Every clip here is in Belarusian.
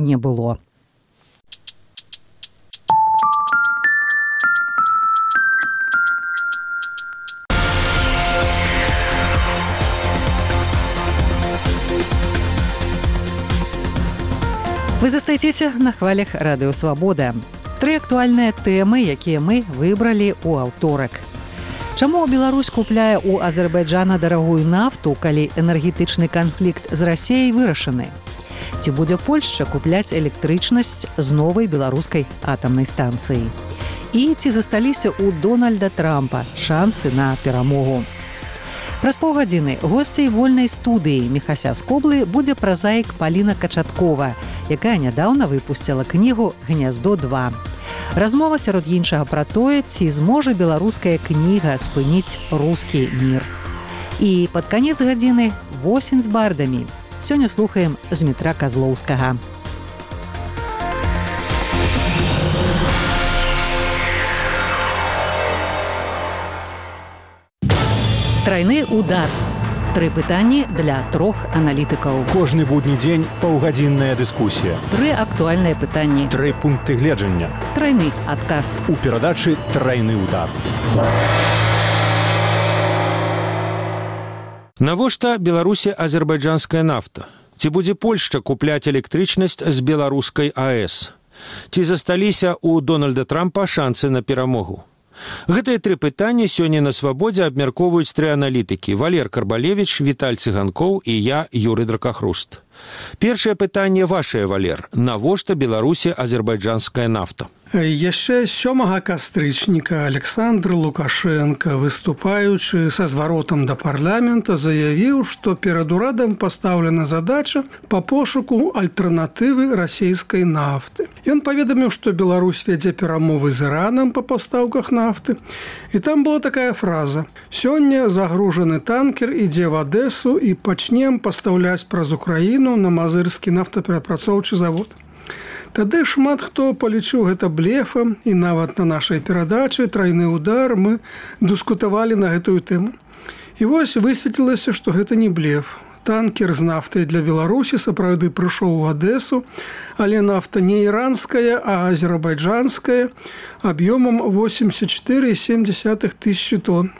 не было. Вы застаецеся на хвалях Радыё Свабода. 3 актуальныя тэмы, якія мы выбралі ў аўторак. Чаму Беларусь купляе ў Азербайджана дарагую нафту, калі энергетычны канфлікт з Расіяй вырашаны? Ці будзе Польшча купляць электрычнасць з новай беларускай атамнай станцыі? І ці засталіся ў Дональда Трампа шансы на перамогу? Праз паўгадзіны госцей вольнай студыі Міхася з Коблы будзе празаік Паліна Качаткова, якая нядаўна выпусціла кнігу «Гняздо-2». Размова сярод іншага пра тое, ці зможа беларуская кніга спыніць рускі мір. І пад канец гадзіны «Восень з бардамі». Сёння слухаем Змітра Казлоўскага. Трайны удар. 3 пытанні для 3 аналітыкаў. Кожны будні дзень паўгадзінная дыскусія. 3 актуальныя пытанні. 3 пункты гледжання. Трайны адказ. У перадачы «Трайны удар». Навошта Беларусі азербайджанская нафта? Ці будзе Польшча купляць электрычнасць з беларускай АЭС? Ці засталіся ў Дональда Трампа шансы на перамогу? Гэтыя 3 пытанні сёння на Свабодзе абмяркоўваюць 3 аналітыкі: Валер Карбалевіч, Віталь Цыганкоў і я, Юрый Дракахруст. Першае пытанне вашае, Валер. Навошта Беларусі азербайджанская нафта? Яшчэ 7 кастрычніка Александр Лукашенко, выступаючы са зваротам да парламента, заявіў, што перад урадам пастаўлена задача па пошуку альтэрнатывы расійскай нафты. Ён паведаміў, што Беларусь вядзе перамовы з Іранам па пастаўках нафты. І там была такая фраза: «Сёння загружаны танкер ідзе в Адэсу і пачнем пастаўляць праз Украіну на мазырскі нафтаперапрацоўчы завод». Тады шмат хто палічыў гэта блефам, і нават на нашай перадачы «Трайны удар» мы дыскутавалі на гэтую тэму. І вось высветлілася, што гэта не блеф. Танкер з нафтай для Беларусі сапраўды прыйшоў у Адэсу, але нафта не іранская, а азербайджанская, аб'ёмам 84,7 тысячы тонн.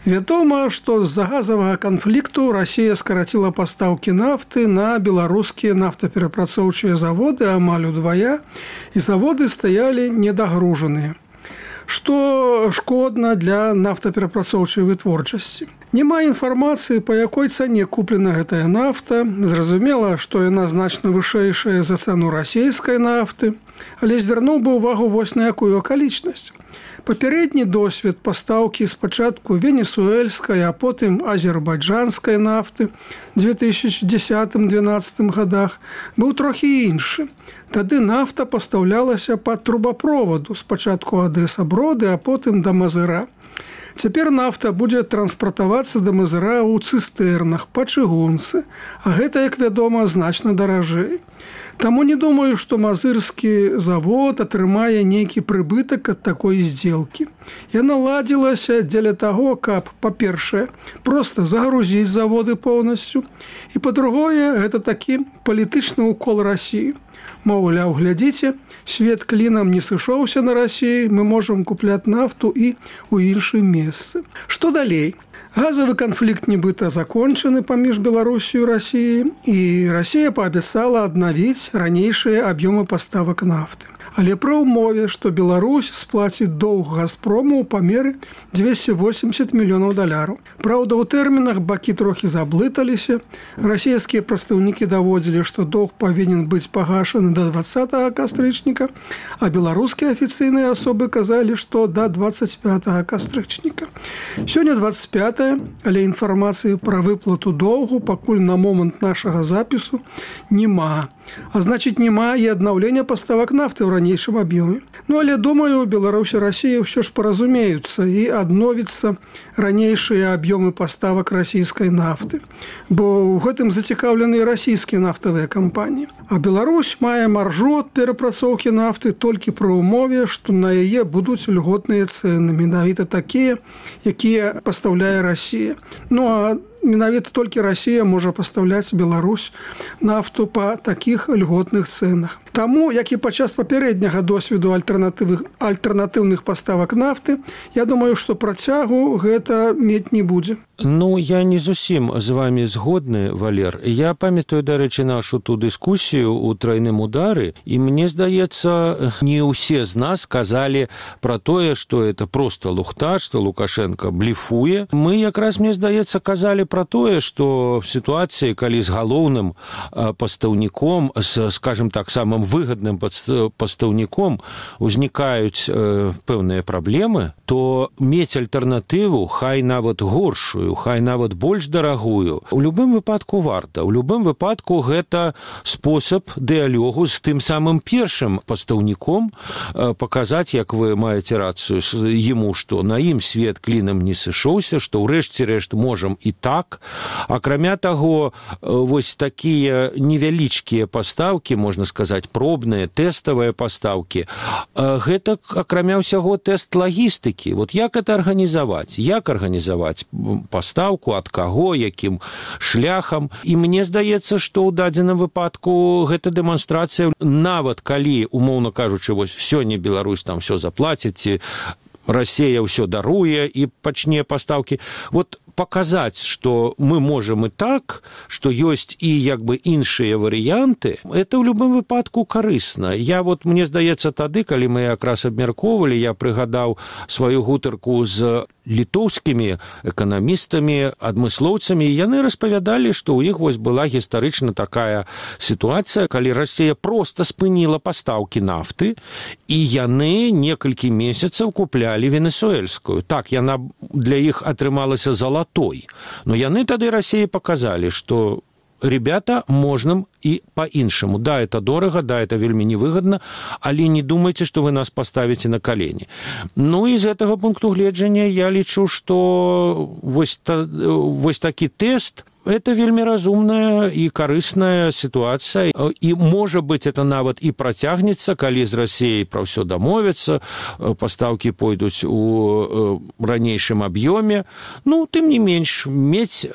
Вядома, што з-за газавага канфлікту Расія скараціла пастаўкі нафты на беларускія нафтаперапрацоўчыя заводы амаль удвая, і заводы стаялі недагружаныя, што шкодна для нафтаперапрацоўчай вытворчасці. Няма інфармацыі, па якой цане куплена гэтая нафта. Зразумела, што яна значна вышэйшая за цану расійскай нафты, але звярнуў бы ўвагу вось на якую акалічнасць. Папярэдні досвед пастаўкі спачатку венесуэльскай, а потым азербайджанскай нафты 2010-2012 годах быў трохі іншы. Тады нафта пастаўлялася па трубапроваду, спачатку Адэса-Броды, а потым да Мазыра. Цяпер нафта будзе транспартавацца да Мазыра ў цыстэрнах, па чыгунцы, а гэта, як вядома, значна даражэй. Таму не думаю, што мазырскі завод атрымае нейкі прыбытак ад такой здзелкі. Яна ладзілася дзеля таго, каб, па-першае, проста загрузіць заводы поўнасцю, і, па-другое, гэта такі палітычны ўкол Расіі. Маўляў, глядзіце, свет клінам не сышоўся на Расіі, мы можам купляць нафту і ў іншым месцы. Што далей? Газавы канфлікт нібыта закончаны паміж Беларусію і Расіяй, і Расія паабяцала аднавіць ранейшыя аб'ёмы паставак нафты. Але пры ўмове, што Беларусь сплаціць доўг «Газпрому» ў памеры $280 мільёнаў. Праўда, у тэрмінах бакі трохі заблыталіся. Расійскія прадстаўнікі даводзілі, што доўг павінен быць пагашаны да 20 кастрычніка, а беларускія афіцыйныя асобы казалі, што да 25 кастрычніка. Сёння 25, але інфармацыі пра выплату доўгу пакуль на момант нашага запісу няма. А значыць, няма і аднаўлення паставак нафты ў ранейшым аб'ёме. Ну, але, думаю, Беларусь і Расія ўсё ж паразумеюцца і адновіцца ранейшыя аб'ёмы паставак расійскай нафты. Бо ў гэтым зацікаўлены расійскія нафтавыя кампаніі. А Беларусь мае маржу ад перапрацоўкі нафты толькі пры ўмове, што на яе будуць льготныя цэны, менавіта такія, якія пастаўляе Расія. Ну, а менавіта толькі Расія можа пастаўляць Беларусь нафту па такіх льготных цэнах. Таму, як і падчас папярэдняга досведу альтэрнатыўных паставак нафты, я думаю, што працягу гэта мець не будзе. Ну, я не зусім з вами згодны, Валер. Я памятаю, дарэчы, нашу ту дыскусію ў трайным удары, і мне здаецца, не ўсе з нас казалі пра тое, што это просто лухта, што Лукашенко блефуе. Мы якраз, мне здаецца, казалі пра тое, што в сітуацыі, калі з галоўным пастаўніком, скажем так, самым выгадным пастаўніком узнікаюць пэўныя праблемы, то мець альтэрнатыву, хай нават горшую, хай нават больш дарагую, у любым выпадку варта. У любым выпадку гэта спосаб дыялогу з тым самым першым пастаўніком, паказаць, як вы маеце рацыю яму, што на ім свет клінам не сышоўся, што ў рэшце рэшт можам і так. Акрамя таго, вось такія невялічкія пастаўкі, можна сказаць, пробныя, тэставыя пастаўкі, гэта, акрамя ўсяго, тэст лагістыкі. Вот як это арганізаваць? Як арганізаваць пастаўку, ад каго, якім шляхам? І мне здаецца, што ў дадзеным выпадку гэта дэманстрацыя, нават калі, умоўна кажучы, вось сёння Беларусь там всё заплаціць, ці Расія ўсё даруе і пачне пастаўкі. Вот паказаць, што мы можам і так, што ёсць і як бы іншыя варыянты, это ў любым выпадку карысна. Мне здаецца, тады, калі мы якраз абмяркоўвалі, я прыгадаў сваю гутарку з літоўскімі эканамістамі, адмыслоўцамі, і яны распавядалі, што ў іх вось была гістарычна такая сітуацыя, калі Расія проста спыніла пастаўкі нафты, і яны некалькі месяцаў куплялі венесуэльскую. Так, яна для іх атрымалася золотой. Но яны тады России показали, что ребята, можна і по-іншаму. Да, это дорого, да, это вельмі невыгодно, але не думайте, что вы нас поставите на колени. Ну, из этого пункту гледжання я лічу, что вось такі тест это вельмі разумная і карысная сітуацыя. І, можа быць, это нават і працягнецца, калі з Расіяй пра ўсё дамовяцца, пастаўкі пойдуць у ранейшым аб'ёме. Ну, тым не менш, мець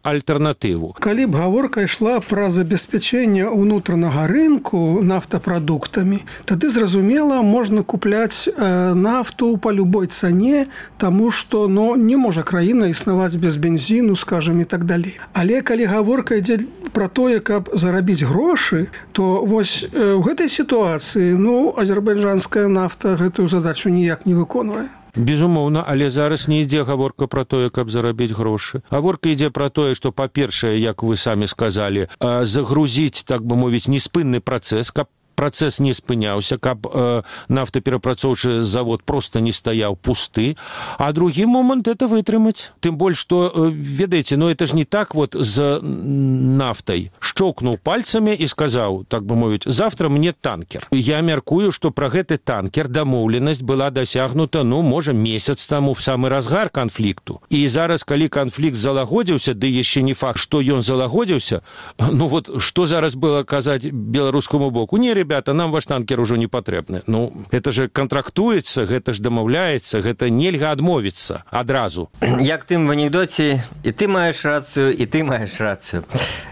альтэрнатыву. Калі б гаворка ішла пра забеспячэнне ўнутранага рынку нафтапрадуктамі, тады, зразумела, можна купляць нафту па любой цане, таму што не можа краіна існаваць без бензіну, скажам, і так далей. Але калі гаворка ідзе пра тое, каб зарабіць грошы, то вось у гэтай сітуацыі, азербайджанская нафта гэтую задачу ніяк не выконвае. Безумоўна, але зараз не ідзе гаворка пра тое, каб зарабіць грошы. Гаворка ідзе пра тое, што, па-першае, як вы самі сказалі, загрузіць, так бы мовіць, неспынны працэс, каб працэс не спыняўся, каб нафтаперапрацоўчы завод просто не стаяў пусты. А другі момант это вытрымаць. Тым больш, што, ведаеце, это ж не так вот з нафтай. Шчокнуў пальцамі і сказаў, так бы мовіць, завтра мне танкер. Я мяркую, што пра гэты танкер дамоўленасць была дасягнута, можа, месяц таму в самы разгар канфлікту. І зараз, калі канфлікт залагодзіўся, ды яшчэ не факт, што ён залагодзіўся, што зараз было казаць беларускаму боку? Не, ребята, нам ваш танкер ужо не патрэбны. Это же контрактуецца, гэта ж дамаўляецца, гэта нельга адмовіцца адразу. Як тым в анекдоце, і ты маеш рацыю, і ты маеш рацыю.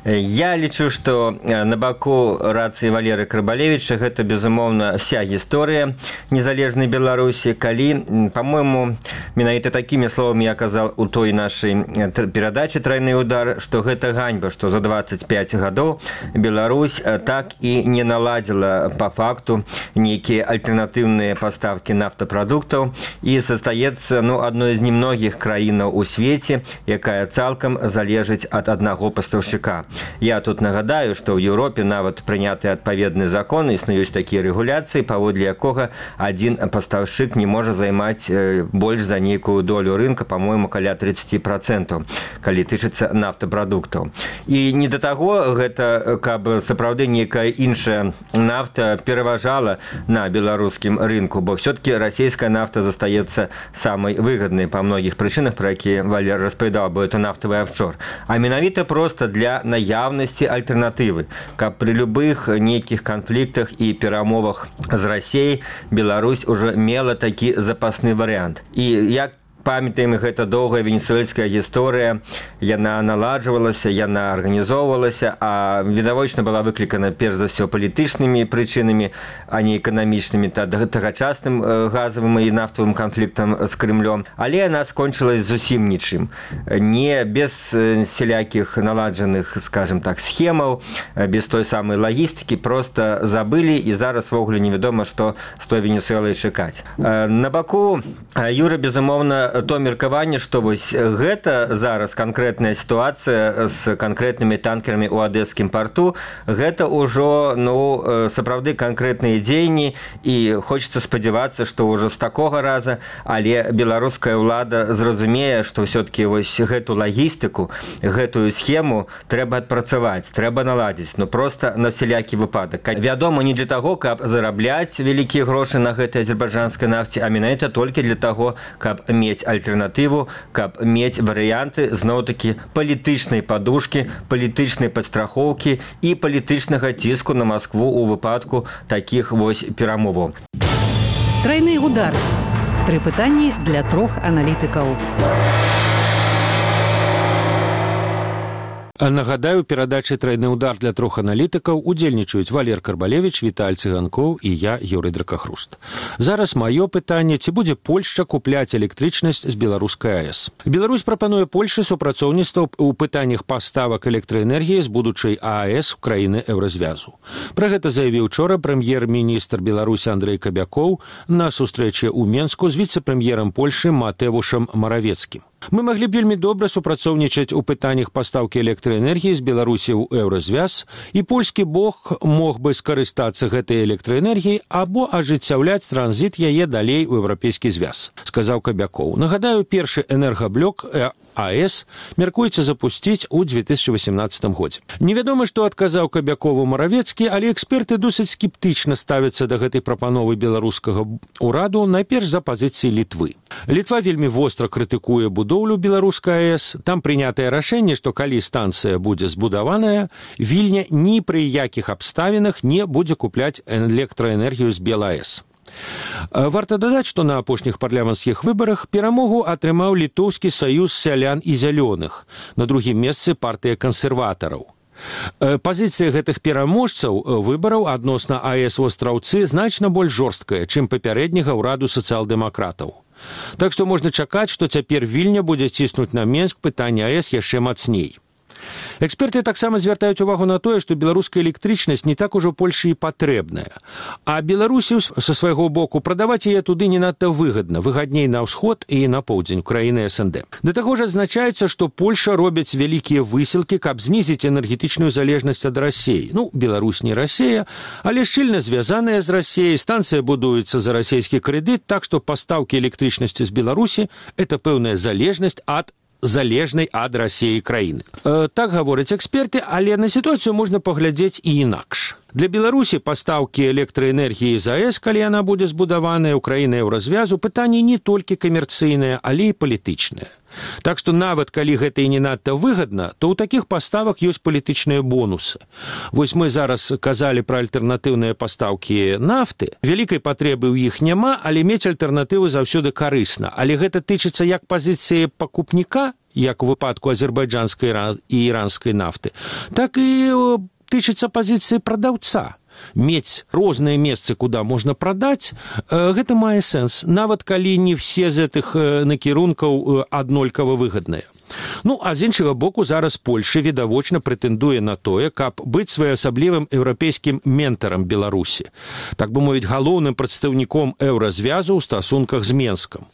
Я лічу, што на баку рацыі Валеры Крыбалевіча гэта, безумоўна, вся гісторыя незалежнай Беларусі, калі, па-мойму, менавіта такімі словамі я казаў у той нашай перадачы «Трайны удар», што гэта ганьба, што за 25 гадоў Беларусь так і не наладзіла по факту нейкія альтэрнатыўныя пастаўкі нафтапрадуктаў і застаецца адной з немногіх краінаў у свеце, якая цалкам залежыць ад аднаго пастаўшчыка. Я тут нагадаю, што ў Еўропе нават прыняты адпаведны закон, існуюць такія рэгуляцыі, паводле якога адзін пастаўшчык не можа займаць больш за нейкую долю рынка, па-мойму, каля 30%, калі тычыцца нафтапрадуктаў. І не да таго гэта, каб сапраўды нейкая іншая нафта пераважала на беларускім рынку, бо все-таки расійская нафта застаецца самай выгаднай па многіх прычынах, пра якія Валер распавядаў, бо это нафтавы офшор. А менавіта проста для наяўнасці альтэрнатывы, каб пры любых нейкіх канфліктах і перамовах з Расіяй Беларусь ужо мела такі запасны варыянт. І як памятаем, гэта доўгая венесуэльская гісторыя, яна наладжвалася, яна арганізоўвалася, а відавочна была выклікана перш за ўсё палітычнымі прычынамі, а не эканамічнымі, тагачасным газавым і нафтавым канфліктам з Крымлём. Але яна скончылась зусім нічым. Не без сялякіх наладжаных, скажем так, схемаў, без той самай лагістыкі, проста забылі, і зараз ввогуле невядома, што з той Венесуэлай чакаць. На баку Юры, безумоўна, то меркаванне, што вось гэта зараз канкрэтная сітуацыя з канкрэтнымі танкерамі ў адэскім парту, гэта ўжо, сапраўды канкрэтныя дзеянні, і хочацца спадзявацца, што ўжо з такога раза, але беларуская ўлада зразумее, што ўсё-такі вось гэту лагістыку, гэтую схему трэба адпрацаваць, трэба наладзіць, проста на всялякі выпадак. Вядома, не для таго, каб зарабляць вялікія грошы на гэтай азербайджанскай нафце, а менавіта толькі для таго, каб мець альтэрнатыву, каб мець варыянты, зноў-такі, палітычнай падушкі, палітычнай падстрахоўкі і палітычнага ціску на Маскву ў выпадку такіх вось перамоваў. Трайны удар. 3 пытанні для 3 аналітыкаў. Нагадаю, перадачы «Трайны удар» для 3 аналітыкаў удзельнічаюць Валер Карбалевіч, Віталь Цыганкоў і я, Юрый Дракахруст. Зараз маё пытанне, ці будзе Польшча купляць электрычнасць з беларускай АЭС. Беларусь прапануе Польшы супрацоўніцтва ў пытаннях паставак электраэнергіі з будучай АЭС у краіны Еўразвязу. Пра гэта заявіў учора прэм'ер-міністр Беларусі Андрэй Кабякоў на сустрэчы ў Менску з віцэ-прэм'ерам Польшы Матэвушам Маравецкім. Мы маглі б вельмі добра супрацоўнічаць у пытаннях пастаўкі электраэнергіі з Беларусі ў Еўразвяз, і польскі бок мог бы скарыстацца гэтай электраэнергіяй або ажыццяўляць транзіт яе далей у Еўрапейскі звяз, сказаў Кабякоў. Нагадаю, першы энергаблок АЭС мяркуецца запусціць у 2018 годзе. Невядома, што адказаў Кабякову Маравецкі, але эксперты досыць скептычна ставяцца да гэтай прапановы беларускага ўраду, найперш за пазіцыі Літвы. Літва вельмі востра крытыкуе будоўлю беларускай АЭС. Там прынятае рашэнне, што калі станцыя будзе збудаваная, Вільня ні пры якіх абставінах не будзе купляць электраэнергію з БелАЭС. Варта дадаць, што на апошніх парламенцкіх выбарах перамогу атрымаў літоўскі саюз сялян і зялёных, на другім месцы партыя кансерватараў. Пазіцыя гэтых пераможцаў выбараў адносна АЭС у Астраўцы значна больш жорсткая, чым папярэдняга ўраду сацыял-дэмакратаў. Так што можна чакаць, што цяпер Вільня будзе ціснуць на Менск пытанне АЭС яшчэ мацней. Эксперты таксама звяртаюць увагу на тое, што беларуская электрычнасць не так ужо Польшы і патрэбная, а Беларусі са свайго боку прадаваць яе туды не надта выгадна, выгадней на ўсход і на поўдзень краіны СНД. Да таго ж адзначаецца, што Польша робіць вялікія высілкі, каб знізіць энергетычную залежнасць ад Расіі. Беларусь не Расія, але шчыльна звязаная з Расіяй, станцыя будуецца за расійскі крэдыт, так што пастаўкі электрычнасці з Беларусі – это пэўная залежнасць ад залежнай ад Расіі краіны. Так гавораць эксперты, але на сітуацыю можна паглядзець і інакш. Для Беларусі пастаўкі электраэнергіі з АЭС, калі яна будзе збудаваная ў краіны Еўразвязу, пытанне не толькі камерцыйнае, але і палітычнае. Так што нават калі гэта і не надта выгадна, то ў такіх паставак ёсць палітычныя бонусы. Вось мы зараз казалі пра альтэрнатыўныя пастаўкі нафты. Вялікай патрэбы ў іх няма, але мець альтэрнатывы заўсёды карысна. Але гэта тычыцца як пазіцыі пакупніка, як у выпадку азербайджанскай і іранскай нафты, так і тычыцца пазіцыі прадаўца. Мець розныя месцы, куды можна прадаць, гэта мае сэнс, нават калі не все з гэтых накірункаў аднолькава выгадныя. А з іншага боку, зараз Польша відавочна прэтэндуе на тое, каб быць своеасаблівым еўрапейскім ментарам Беларусі, так бы мовіць, галоўным прадстаўніком еўразвязу ў стасунках з Менскам.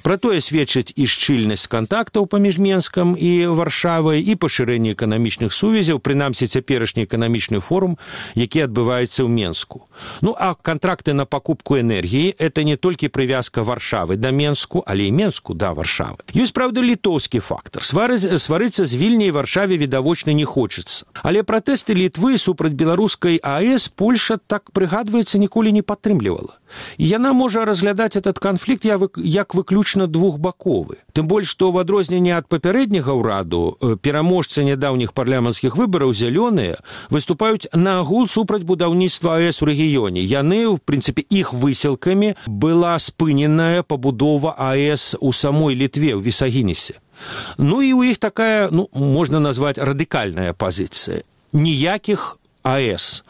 Пра тое сведчыць і шчыльнасць кантактаў паміж Менскам і Варшавай, і пашырэнне эканамічных сувязяў, прынамсі цяперашні эканамічны форум, які адбываецца ў Менску. А кантракты на пакупку энергіі – это не толькі прывязка Варшавы да Менску, але і Менску да Варшавы. Ёсць, правда, літоўскі фактар. Сварыцца з Вільняй Варшаве відавочна не хочацца. Але пратэсты Літвы супраць беларускай АЭС Польша, так прыгадваецца, ніколі не падтрымлівала. І яна можа разглядаць этот канфлікт як выключна двухбаковы. Тым больш, што ў адрозненне ад папярэдняга ўраду пераможцы нядаўніх парламенцкіх выбараў зялёныя выступаюць наагул супраць будаўніцтва АЭС у рэгіёне. Яны, в прынцыпе, іх высілкамі была спыненая пабудова АЭС у самой Літве, ў Вісагінесе. Ну і ў іх такая, можна назваць, радыкальная пазіцыя. Ніякіх АЭС.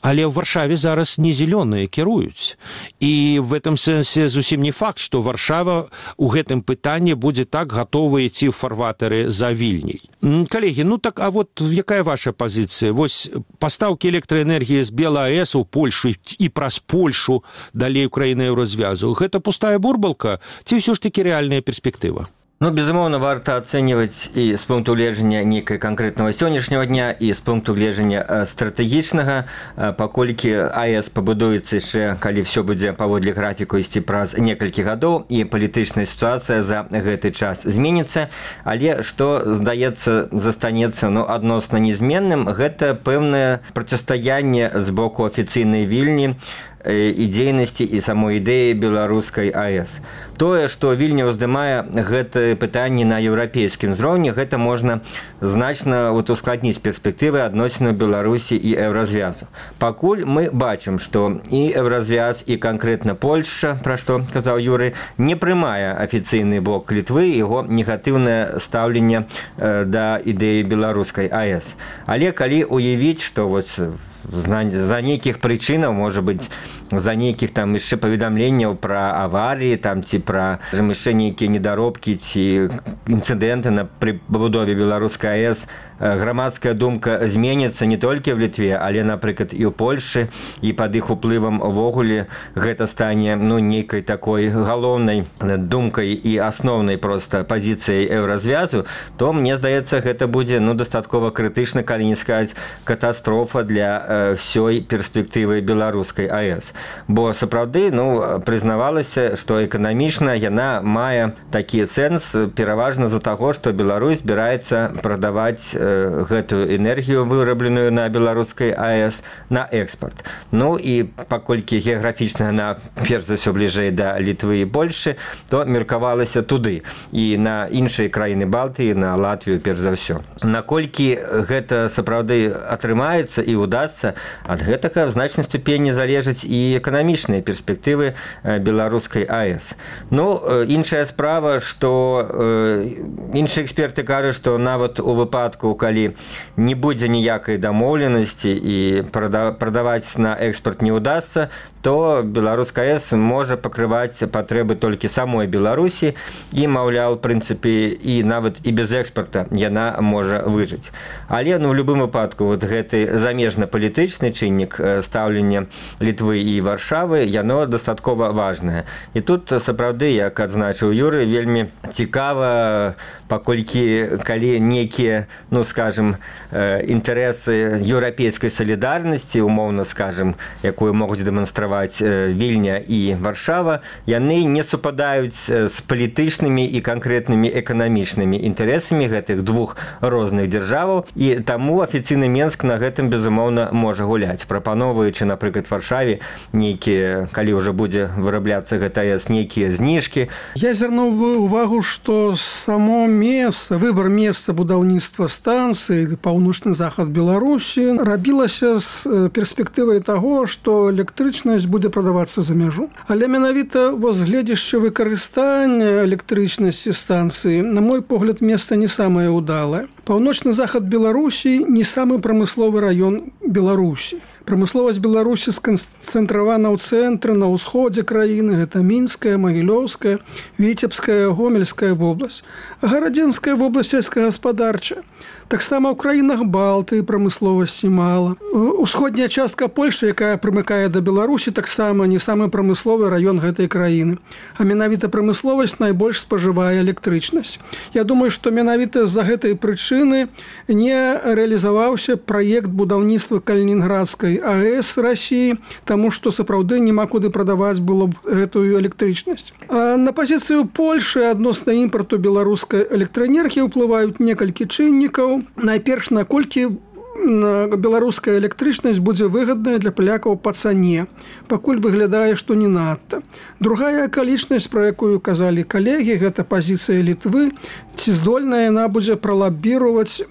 Але ў Варшаве зараз не зелёныя кіруюць. І в этом сэнсе зусім не факт, што Варшава ў гэтым пытанні будзе так гатова ісці ў фарватары за Вільняй. Калегі, так, а вот якая ваша пазіцыя? Вось пастаўкі электраэнергіі з БелАЭС у Польшу і праз Польшу далей Украіны Еўразвязу. Гэта пустая бурбалка ці ўсё ж такі рэальная перспектыва? Безумоўна, варта ацэньваць і з пункту гледжання нейкай канкрэтнага сённяшняга дня, і з пункту гледжання стратэгічнага, паколькі АЭС пабудуецца яшчэ, калі ўсё будзе паводле графіку ісці праз некалькі гадоў, і палітычная сітуацыя за гэты час зменіцца. Але што, здаецца, застанецца адносна незменным, гэта пэўнае процістаянне з боку афіцыйнай Вільні і дзейнасці і самой ідэі беларускай АЭС. Тое, што Вільня ўздымае гэта пытанне на еўрапейскім узроўні, гэта можна значна ускладніць перспектывы адносінаў Беларусі і Еўразвязу. Пакуль мы бачым, што і Еўразвяз, і канкрэтна Польшча, пра што казаў Юрый, не прымае афіцыйны бок Літвы, яго негатыўнае стаўленне да ідэі беларускай АЭС. Але калі уявіць, што за нейкіх прычынаў, можа быць, за нейкіх там яшчэ паведамленняў пра аварыі, там ці пра яшчэ нейкія недаробкі ці інцыдэнты на пры пабудове беларускай АЭС, грамадская думка зменіцца не толькі в Літве, але, напрыклад, і ў Польшчы, і пад іх уплывам увогуле гэта стане нейкай такой галоўнай думкай і асноўнай проста пазіцыяй Еўразвязу, то, мне здаецца, гэта будзе дастаткова крытычна, калі не сказаць катастрофа для ўсёй перспектывы беларускай АЭС. Бо сапраўды, прызнавалася, што эканамічна яна мае такі сэнс пераважна з-за таго, што Беларусь збіраецца прадаваць гэтую энергію, вырабленую на беларускай АЭС, на экспарт. І паколькі геаграфічна яна перш за ўсё бліжэй да Літвы і Польшчы, то меркавалася туды і на іншыя краіны Балтыі, на Латвію перш за ўсё. Наколькі гэта сапраўды атрымаецца і ўдасца, ад гэтага в значнай ступені залежаць і эканамічныя перспектывы беларускай АЭС. Іншая справа, што іншыя эксперты кажуць, што нават у выпадку, калі не будзе ніякай дамоўленасці і прадаваць на экспарт не ўдасца, то беларуская АЭС можа пакрываць патрэбы толькі самой Беларусі і, маўляў, в прынцыпе, і нават і без экспарта яна можа выжыць. Але, в любым выпадку, гэты замежна-палітычны чыннік стаўлення Літвы і Варшавы, яно дастаткова важнае. І тут, сапраўды, як адзначыў Юрый, вельмі цікава, паколькі калі нейкія, інтарэсы еўрапейскай салідарнасці, умоўна скажам, якую могуць дэманстраваць Вільня і Варшава, яны не супадаюць з палітычнымі і канкрэтнымі эканамічнымі інтарэсамі гэтых двух розных дзяржаваў, і таму афіцыйны Менск на гэтым, безумоўна, можа гуляць, прапаноўваючы, напрыклад, Варшаве нейкія, калі ўжо будзе вырабляцца гэта АЭС, нейкія зніжкі. Я звярнуў увагу, што само выбар месца будаўніцтва станцыі, паўночны захад Беларусі, рабілася з перспектывай таго, што электрычнасць будзе прадавацца за мяжу. Але менавіта гледзячы выкарыстання электрычнасці станцыі, на мой погляд, месца не самае ўдалае. Паўночны захад Беларусі не самы прамысловы раён Беларусі. Прамысловасць Беларусі сканцэнтравана ў цэнтры, на ўсходзе краіны, гэта Мінская, Магілёўская, Віцебская, Гомельская вобласць. Гарадзенская вобласць сельскагаспадарчая. Таксама ў краінах Балтыі прамысловасці мала. Усходняя частка Польшчы, якая прымыкае да Беларусі, таксама не самы прамысловы раён гэтай краіны. А менавіта прамысловасць найбольш спажывае электрычнасць. Я думаю, што менавіта з-за гэтай прычыны не рэалізаваўся праект будаўніцтва Калінінградскай беларускай АЭС России, таму што сапраўды няма куды прадаваць было б гэтую электрычнасць. А на пазіцыю Польшы адносна імпарту беларускай электраэнергіі ўплываюць некалькі чыннікаў. Найперш, наколькі беларуская электрычнасць будзе выгадная для палякаў па цане, пакуль выглядае, што не надта. Другая акалічнасць, пра якую казалі калегі, гэта пазіцыя Літвы, ці здольная яна будзе пралабіраваць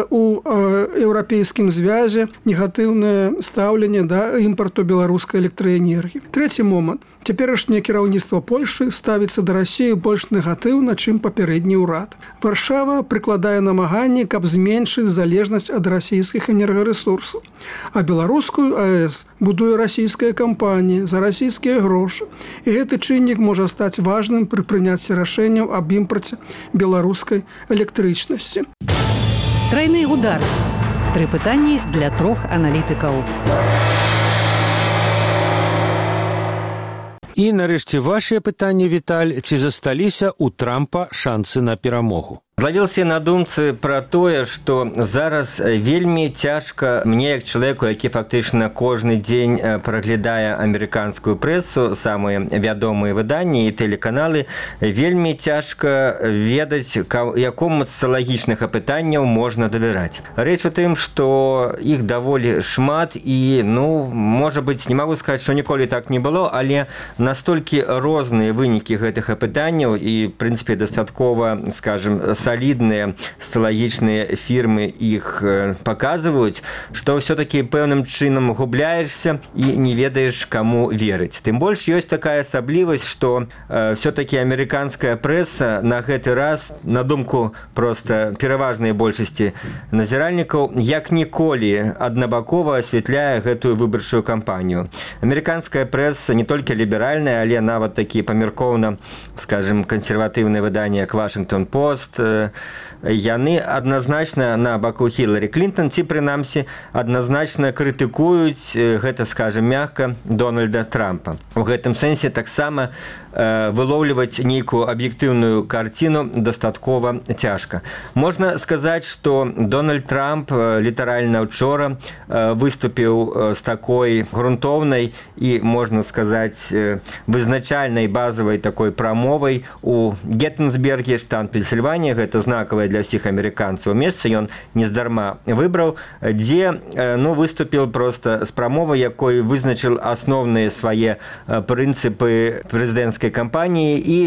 у еўрапейскім звязе негатыўнае стаўленне да імпарту беларускай электраэнергіі. Трэці момант. Цяперашняе кіраўніцтва Польшы ставіцца да Расіі больш негатыўна, чым папярэдні ўрад. Варшава прыкладае намаганні, каб зменшыць залежнасць ад расійскіх энергарэсурсаў. А беларускую АЭС будуе расійская кампанія за расійскія грошы. І гэты чыннік можа стаць важным пры прыняцці рашэнняў аб імпарце беларускай электрычнасці. Трайны удар. 3 пытанні для 3 аналітыкаў. І нарэшце вашыя пытанні, Віталь, ці засталіся ў Трампа шансы на перамогу? Злавіўся на думцы пра тое, што зараз вельмі цяжка мне, як чалавеку, які фактычна кожны дзень праглядае амерыканскую прэсу, самыя вядомыя выданні і тэлеканалы, вельмі цяжка ведаць, якому з соціалагічных апытанняў можна давяраць. Рэч у тым, што іх даволі шмат і, можа быць, не магу сказаць, што ніколі так не было, але настолькі розныя вынікі гэтых апытанняў і, в прынцыпе, дастаткова, скажем, солідныя соціалагічныя фірмы іх паказваюць, што ўсё-такі пэўным чынам губляешся і не ведаеш, каму верыць. Тым больш ёсць такая асаблівасць, што ўсё-такі амерыканская прэса на гэты раз, на думку проста пераважнай большасці назіральнікаў, як ніколі аднабакова асвятляе гэтую выбарчую кампанію. Амерыканская прэса не толькі ліберальная, але нават такі памяркоўна, скажем, кансерватыўныя выданні, як Вашингтон Пост, яны адназначна на баку Хіларі Клінтон, ці прынамсі адназначна крытыкуюць, гэта, скажем, мякка, Дональда Трампа. У гэтым сэнсе таксама вылоўліваць нейкую аб'ектыўную карціну дастаткова цяжка. Можна сказаць, што Дональд Трамп літаральна учора выступіў з такой грунтоўнай і, можна сказаць, вызначальнай базавай такой прамовай у Геттинсберге, штат Пенсільванія, гэта знакавае для ўсіх амерыканцаў месца, ён нездарма выбраў, дзе выступіў проста з прамовай, якой вызначыў асноўныя свае прынцыпы прэзідэнцкай кампаніі і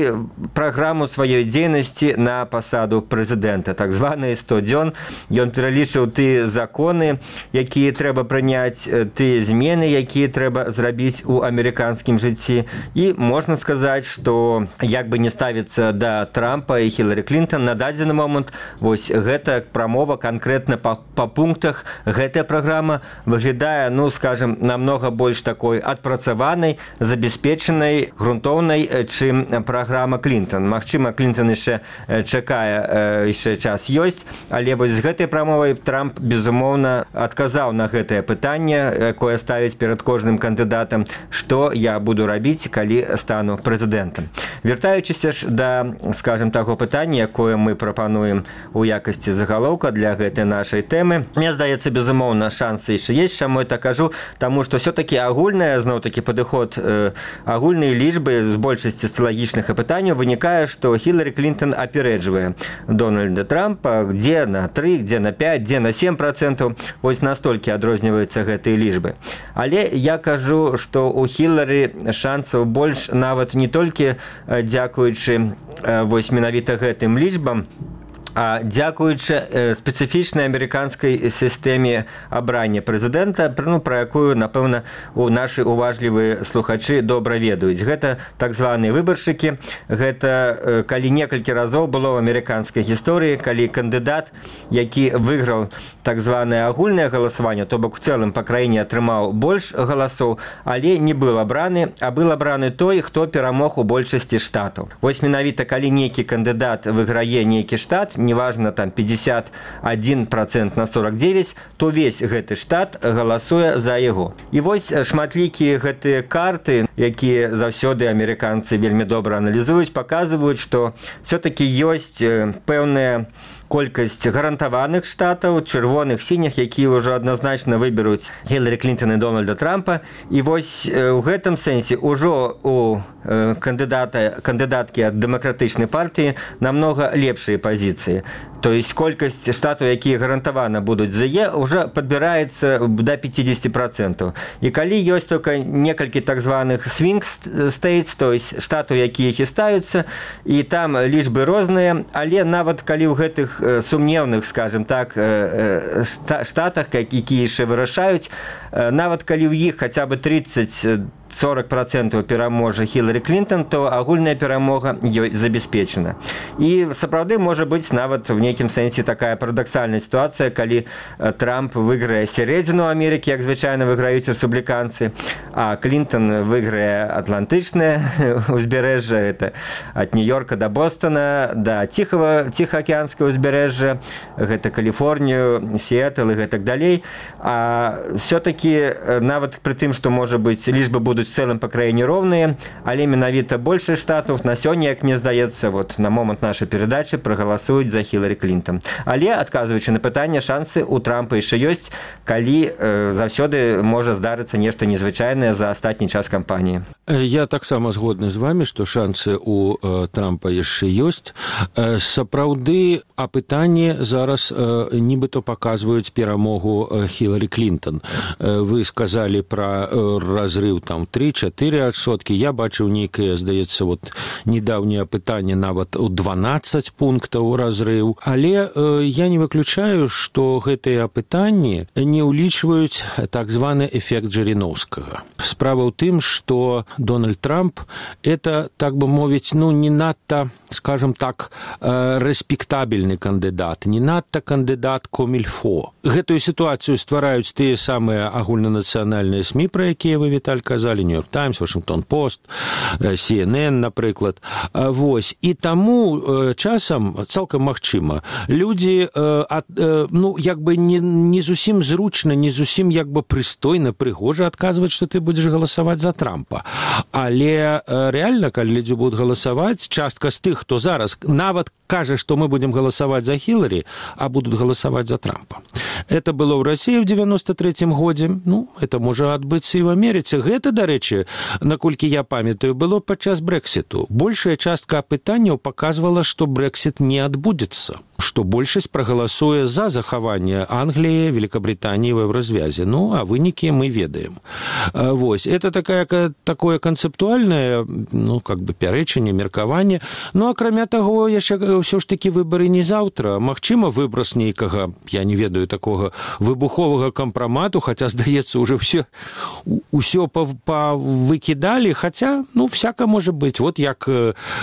праграму сваёй дзейнасці на пасаду прэзідэнта. Так званыя 100 дзён. Ён пералічыў тыя законы, якія трэба прыняць, тыя змены, якія трэба зрабіць у амерыканскім жыцці. І можна сказаць, што як бы не ставіцца да Трампа і Хіларі Клінтон, на дадзены момант вось гэта прамова канкрэтна па пунктах, гэтая праграма выглядае, скажем, намнога больш такой адпрацаванай, забяспечанай, грунтоўнай, чым праграма Клінтон. Магчыма, Клінтон яшчэ чакае, яшчэ час ёсць, але вось з гэтай прамовай Трамп, безумоўна, адказаў на гэтае пытанне, якое ставіць перад кожным кандыдатам, што я буду рабіць, калі стану прэзідэнтам. Вяртаючыся ж да, скажем, таго пытання, якое мы прапануем у якасці загалоўка для гэтай нашай тэмы, мне здаецца, безумоўна, шансы яшчэ ёсць. Чаму я так кажу? Таму што ўсё-такі агульная, зноў-такі падыход, агульныя лічбы з большасці соціалагічных апытанняў вынікае, што Хіларі Клінтон апярэджвае Дональда Трампа, дзе на 3, дзе на 5, дзе на 7%. Вось настолькі адрозніваюцца гэтыя лічбы. Але я кажу, што у Хіларі шансаў больш нават не толькі дзякуючы вось менавіта гэтым лічбам, а дзякуючы спецыфічнай амерыканскай сістэме абрання прэзідэнта, пра якую, напэўна, нашы уважлівыя слухачы добра ведаюць. Гэта так званыя выбаршчыкі. Гэта калі некалькі разоў было ў амерыканскай гісторыі, калі кандыдат, які выйграў так званае агульнае галасаванне, то бок у цэлым па краіне атрымаў больш галасоў, але не быў абраны, а быў абраны той, хто перамог у большасці штатаў. Вось менавіта калі нейкі кандыдат выйграе нейкі штат, неважна там 51% на 49, то весь гэты штат галасуе за яго. І вось шматлікія гэтыя карты, якія заўсёды амерыканцы вельмі добра аналізуюць, паказваюць, што все-таки ёсць пэўная колькасць гарантаваных штатаў, чырвоных, сініх, якія ўжо адназначна выберуць Хіларі Клінтон і Дональда Трампа. І вось у гэтым сэнсе ўжо у кандыдаткі ад дэмакратычнай партыі намнога лепшыя пазіцыі. То есть колькасць штатаў, якія гарантавана будуць за Е, уже падбіраецца до 50%. І калі ёсць только некалькі так званых swing states, то есть штатаў, якія хістаюцца, і там лічбы розныя, але нават калі ў гэтых сумневных, скажем так, штатах, якія яшчэ вырашаюць, нават калі ў іх хаця бы 30-40% пераможа Хіларі Клінтон, то агульная перамога ёй забяспечана. І сапраўды можа быць нават в нейкім сэнсе такая парадаксальная сітуацыя, калі Трамп выйграе сярэдзіну Амерыкі, як звычайна выйграюць рэспубліканцы, а Клінтон выйграе атлантычнае узбярэжжа, это ад Нью-Йорка да Бостона, да Ціхаакіянскага узбярэжжа, гэта Каліфорнію, Сіэтл і гэтак далей. А все-таки нават пры тым, што можа быць лічбы будуць в цэлым па краіне роўныя, але менавіта большасць штатаў на сёння, як мне здаецца, вот на момант нашай перадачы прагаласуюць за Хіларі Клінтон. Але, адказваючы на пытанне, шансы у Трампа яшчэ ёсць, калі заўсёды можа здарыцца нешта незвычайнае за астатні час кампаніі. Я таксама згодны з вами, што шансы у Трампа яшчэ ёсць. Сапраўды, апытанні зараз нібыто паказваюць перамогу Хіларі Клінтон. Вы сказалі пра разрыв там 3-4%. Я бачыў нейкае, здаецца, вот недаўняе апытанне нават у 12 пунктаў разрыв. Але я не выключаю, што гэтыя апытанні не ўлічваюць так званы эфект Жириновскага. Справа ў тым, што Дональд Трамп это, так бы мовіць, не надта, скажем так, рэспектабельны кандыдат, не надта кандыдат комільфо. Гэтую сітуацыю ствараюць тыя самыя агульнанацыянальныя СМІ, пра якія вы, Віталь, казалі, Нью-Йорк Таймс, Вашингтон Пост, CNN, напрыклад. Вось. І таму часам, цалкам магчыма, людзі як бы не зусім зручна, не зусім як бы прыстойна, прыгожа адказваць, што ты будзеш галасаваць за Трампа. Але рэальна, калі людзі будуць галасаваць, частка з тых, хто зараз нават кажа, што мы будзем галасаваць за Хіларі, а будуць галасаваць за Трампа. Это было ў Расіі ў 93-м годзе, это можа адбыцца і ў Амерыцы. Гэта, дарэчы, наколькі я памятаю, было падчас Брэксіту. Большая частка апытанняў паказвала, што Брэксіт не адбудзецца, што большасць прагаласуе за захаванне Англіі, Великабританіі в еўразвязе. А вынікі мы ведаем. Вось. Это такое канцэптуальнае, как бы пярэчанне, меркаванне. Акрамя таго, яшчэ ўсё ж такі выбары не заўтра. Магчыма, выброс нейкага, я не ведаю, такога выбуховага кампрамату, хаця, здаецца, уже ўсё павыкідалі, хаця, всяка можа быць. Вот як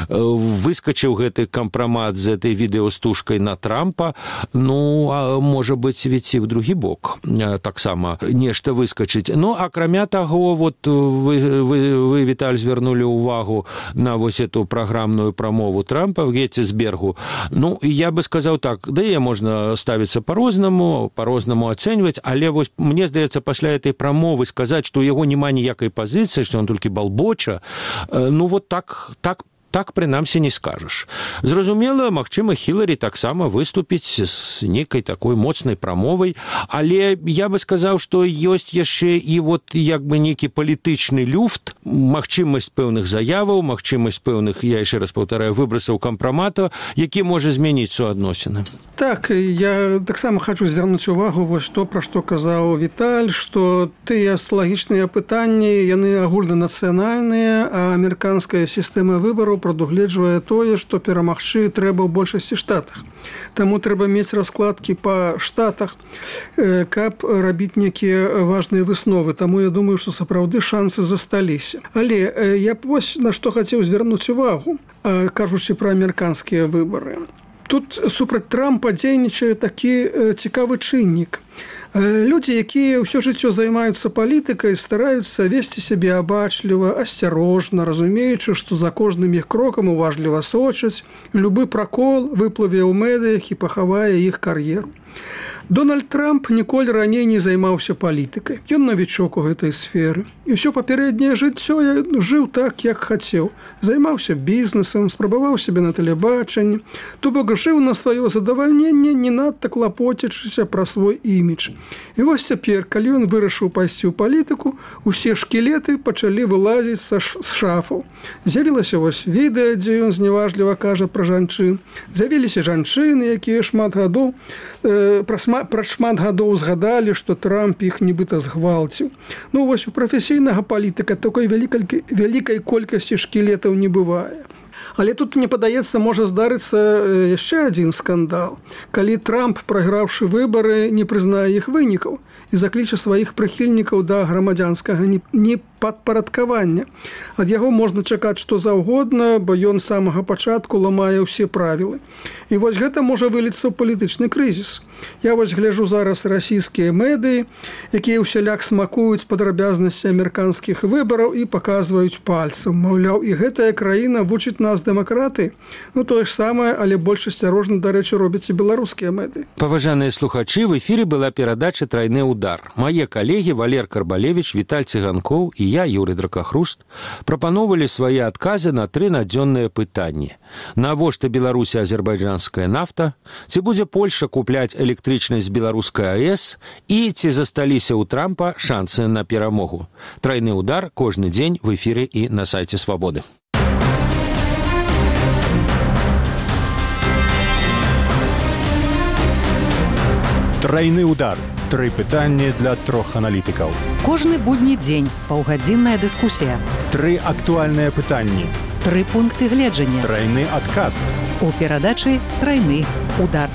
выскачыў гэты кампрамат з этой відэастужкай на Трампа, можа быць, ведь і ў другі бок таксама нешта выскачыць. Акрамя таго, вот вы, Віталь, звярнулі ўвагу на вось эту праграмную прамову Трампа в Геттисбергу. Я бы сказаў так, яе можна ставіцца по-рознаму ацэньваць, але вось мне здаецца, пасля этой прамовы сказаць, што ў яго няма ніякай пазіцыі, што ён толькі балбоча, вот так прынамсі не скажаш. Зразумела, магчыма, Хіларі таксама выступіць з нейкай такой моцнай прамовай, але я бы сказаў, што ёсць яшчэ і вот як бы нейкі палітычны люфт, магчымасць пэўных заяваў, магчымасць пэўных, я яшчэ раз паўтараю, выбрасаў кампрамата, які можа змяніць суадносіны. Так, я таксама хочу звярнуць увагу вось пра што казаў Віталь, што тыя лагічныя пытанні, яны агульнанацыянальныя, а амерыканская сістэма выбараў прадугледжвае тое, што перамагчы трэба ў большасці штатах. Таму трэба мець раскладкі па штатах, каб рабіць нейкія важныя высновы. Таму я думаю, што сапраўды шансы засталіся. Але я б вось на што хацеў звярнуць увагу, кажучы пра амерыканскія выбары. Тут супраць Трампа дзейнічае такі цікавы чыннік. Людзі, якія ўсё жыццё займаюцца палітыкай, стараюцца весці сябе абачліва, асцярожна, разумеючы, што за кожным іх крокам уважліва сочаць, любы пракол выплыве ў медыях і пахавае іх кар'еру. Дональд Трамп ніколі раней не займаўся палітыкай. Ён навічок у гэтай сферы. І ўсё папярэдняе жыццё жыў так, як хацеў. Займаўся бізнесам, спрабаваў сябе на тэлебачанні. То бок жыў на сваё задавальненне, не надта клапоцячыся пра свой імідж. І вось цяпер, калі ён вырашыў пайсці ў палітыку, усе шкілеты пачалі вылазіць з шафаў. З'явілася вось відэа, дзе ён зневажліва кажа пра жанчын. З'явіліся жанчыны, якія пра шмат гадоў згадалі, што Трамп іх нібыта згвалціў. Ну вось у прафесійнага палітыка такой вялікай колькасці шкілетаў не бывае. Але тут, мне падаецца, можа здарыцца яшчэ адзін скандал. Калі Трамп, прайграўшы выбары, не прызнае іх вынікаў і закліча сваіх прыхільнікаў да грамадзянскага непадпарадкавання. Ад яго можна чакаць што заўгодна, бо ён з самага пачатку ламае ўсе правілы. І вось гэта можа выліцца ў палітычны крызіс. Я вось гляджу зараз расійскія медыі, якія ўсяляк смакуюць падрабязнасці амерыканскіх выбараў і паказваюць пальцам. Маўляў, і гэтая краіна вучыць нас дэмакраты. Ну, тое ж самае, але больш асцярожна, дарэчы, робяць і беларускія медыі. Паважаныя слухачы, в эфіры была перадача «Трайны удар». Мае калегі Валер Карбалевіч, Віталь Цыганкоў і я, Юрый Дракахруст, прапановвалі свае адказы на 3 надзённыя пытанні. Навошта Беларусі азербайджанская нафта? Ці будзе Польша купляць электрычнасць з беларускай АЭС? І ці засталіся ў Трампа шансы на перамогу? «Трайны удар» кожны дзень в эфіры і на сайце Свабоды. Трайны удар. 3 пытанні для 3 аналітыкаў. Кожны будні дзень паўгадзінная дыскусія. 3 актуальныя пытанні. 3 пункты гледжання. Трайны адказ. У перадачы «Трайны удар».